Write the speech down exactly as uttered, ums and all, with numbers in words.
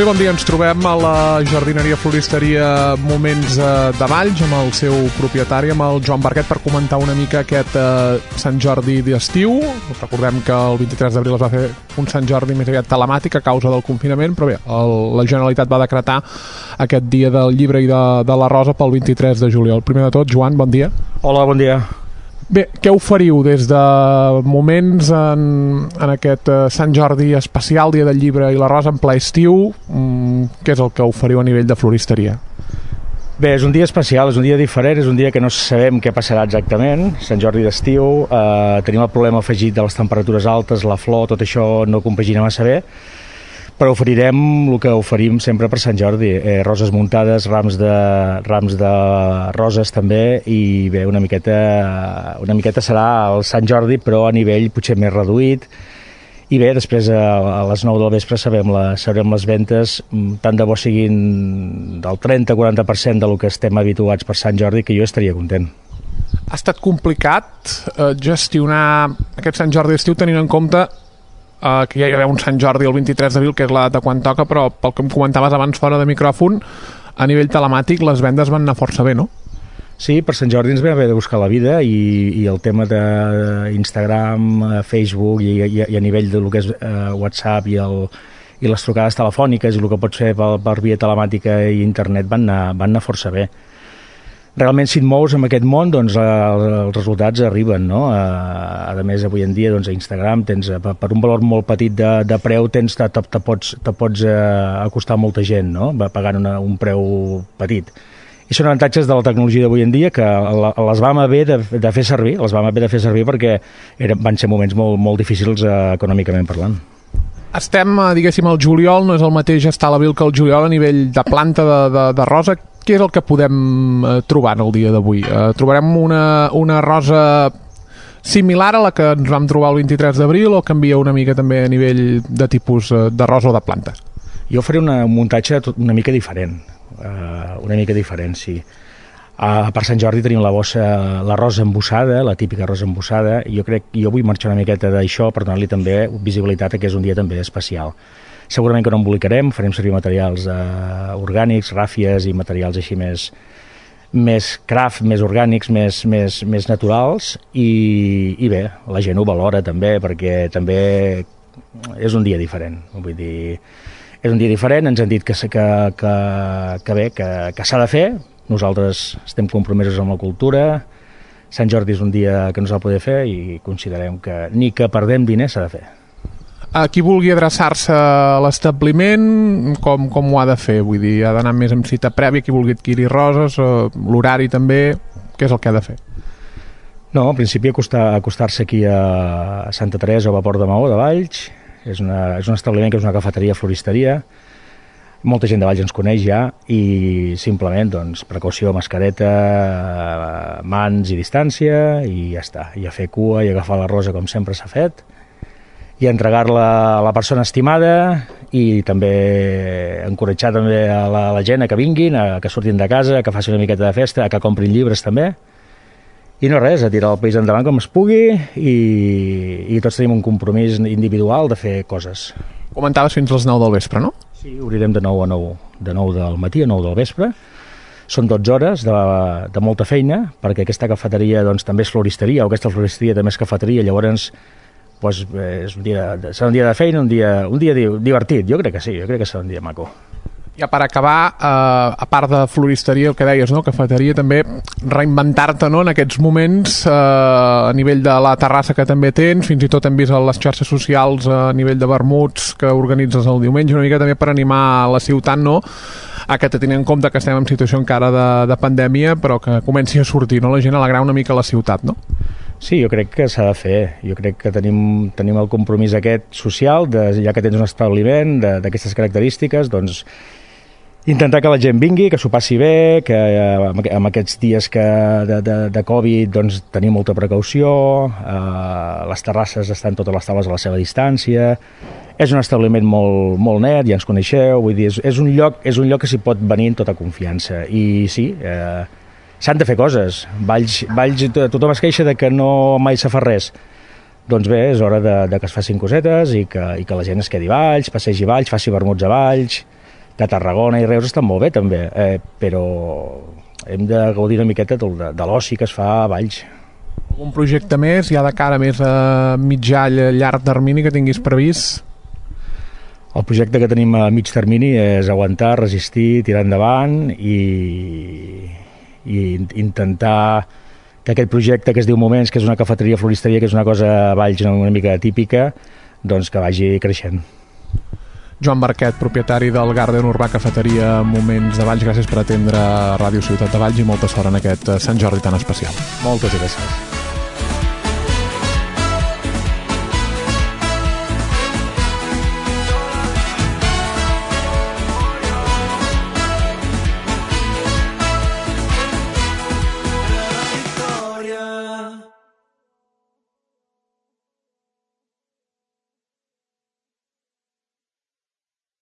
Bé, bon dia. Ens trobem a la jardineria floristeria Moments de Valls amb el seu propietari, amb el Joan Barquet, per comentar una mica aquest eh, Sant Jordi d'estiu. Recordem que el vint-i-tres d'abril es va fer un Sant Jordi més aviat telemàtic a causa del confinament, però bé, el, la Generalitat va decretar aquest dia del llibre i de, de la rosa pel vint-i-tres de juliol. Primer de tot, Joan, bon dia. Hola, bon dia. Bé, què oferiu des de Moments en, en aquest uh, Sant Jordi especial, dia del llibre i la rosa, en ple estiu? Mm, què és el que oferiu a nivell de floristeria? Bé, és un dia especial, és un dia diferent, és un dia que no sabem què passarà exactament. Sant Jordi d'estiu, eh, tenim el problema afegit de les temperatures altes, la flor, tot això no compagina massa bé, però oferirem el que oferim sempre per Sant Jordi, eh, roses muntades, rams de, rams de roses també, i bé, una miqueta, una miqueta serà el Sant Jordi, però a nivell potser més reduït. I bé, després a les nou del vespre sabem, la, sabrem les ventes, tant de bo siguin del trenta a quaranta per cent del que estem habituats per Sant Jordi, que jo estaria content. Ha estat complicat eh, gestionar aquest Sant Jordi d'estiu tenint en compte Uh, que ja hi ha un Sant Jordi el vint-i-tres d'abril, que és la data quan toca, però pel que em comentaves abans fora de micròfon, a nivell telemàtic les vendes van anar força bé, no? Sí, per Sant Jordi ens vam haver de buscar la vida i, i el tema d'Instagram, Facebook i, i, i a nivell de lo que és uh, WhatsApp i, el, i les trucades telefòniques i el que pots fer per, per via telemàtica i internet van anar, van anar força bé. Realment, si et mous en aquest món, doncs els resultats arriben, no? A més, avui en dia, doncs, a Instagram, tens, per un valor molt petit de, de preu, tens, te, te, te pots, te pots acostar a molta gent, no? Pagant una, un preu petit. I són avantatges de la tecnologia d'avui en dia que les vam haver de, de fer servir, les vam haver de fer servir perquè eren, van ser moments molt, molt difícils eh, econòmicament parlant. Estem, diguéssim, al juliol, no és el mateix estar a l'abril que al juliol a nivell de planta de, de, de rosa. Què és el que podem eh, trobar en el dia d'avui? Eh, trobarem una, una rosa similar a la que ens vam trobar el vint-i-tres d'abril o canvia una mica també a nivell de tipus eh, de rosa o de planta? Jo faré una, un muntatge una mica diferent, eh, una mica diferent, sí. Uh, per Sant Jordi tenim la bossa, la rosa embossada, la típica rosa embossada, i jo crec jo vull marxar una miqueta d'això per donar-li també visibilitat a que és un dia també especial. Segurament que no embolicarem, farem servir materials eh, orgànics, ràfies i materials així més, més craft, més orgànics, més, més, més naturals, i, i bé, la gent ho valora també, perquè també és un dia diferent. Vull dir, és un dia diferent, ens han dit que, que, que, que bé, que, que s'ha de fer, nosaltres estem compromesos amb la cultura, Sant Jordi és un dia que no s'ha de poder fer i considerem que ni que perdem diners s'ha de fer. A qui vulgui adreçar-se a l'establiment, com, com ho ha de fer? Vull dir, ha d'anar més amb cita prèvia, qui vulgui adquirir roses, l'horari també, què és el que ha de fer? No, en principi acostar, acostar-se aquí a Santa Teresa o a Port de Maó de Valls, és, una, és un establiment que és una cafeteria, floristeria, molta gent de Valls ens coneix ja i simplement, doncs, precaució, mascareta, mans i distància i ja està, i a fer cua i agafar la rosa com sempre s'ha fet, i entregar-la a la persona estimada i també encoratjar també a la, a la gent a que vinguin, a que surtin de casa, a que facin una miqueta de festa, a que comprin llibres també. I no res, a tirar el país endavant com es pugui i, i tots tenim un compromís individual de fer coses. Comentaves fins les nou del vespre, no? Sí, obrirem de nou a nou, de nou del matí a nou del vespre. Són dotze hores de, de molta feina, perquè aquesta cafeteria doncs, també és floristeria, o aquesta floristeria també és cafeteria, llavors pues, és un dia, serà un dia de feina, un dia, un dia divertit, jo crec que sí, jo crec que serà un dia maco. Ja per acabar, eh, a part de floristeria, el que deies, no? Cafeteria, també reinventar-te, no? En aquests moments, eh, a nivell de la terrassa que també tens, fins i tot hem vist a les xarxes socials a nivell de vermuts que organitzes el diumenge, una mica també per animar la ciutat, no? A que tenint en compte que estem en situació encara de, de pandèmia, però que comenci a sortir, no? La gent a alegrar una mica la ciutat, no? Sí, jo crec que s'ha de fer. Jo crec que tenim, tenim el compromís aquest social, de, ja que tens un establiment d'aquestes característiques, doncs intentar que la gent vingui, que s'ho passi bé, que eh, amb aquests dies que de, de, de Covid doncs, tenim molta precaució, eh, les terrasses estan totes les taules a la seva distància, és un establiment molt, molt net, ja ens coneixeu, vull dir, és, és, un lloc, és un lloc que s'hi pot venir en tota confiança. I sí, eh, s'han de fer coses. Valls, Valls, tothom es queixa de que no mai se fa res. Doncs bé, és hora de, de que es facin cosetes i que, i que la gent es quedi a Valls, passegi a Valls, faci vermuts a Valls. que Tarragona i Reus estan molt bé també, eh, però hem de gaudir una miqueta de, de l'oci que es fa a Valls. Un projecte més, ja de cara més a mitjà, llarg termini que tinguis previst? El projecte que tenim a mig termini és aguantar, resistir, tirar endavant i, i intentar que aquest projecte que es diu Moments, que és una cafeteria floristeria, que és una cosa a Valls una mica típica, doncs que vagi creixent. Joan Barquet, propietari del Garden Urbà Cafeteria Moments de Valls, gràcies per atendre Ràdio Ciutat de Valls i molta sort en aquest Sant Jordi tan especial. Moltes gràcies.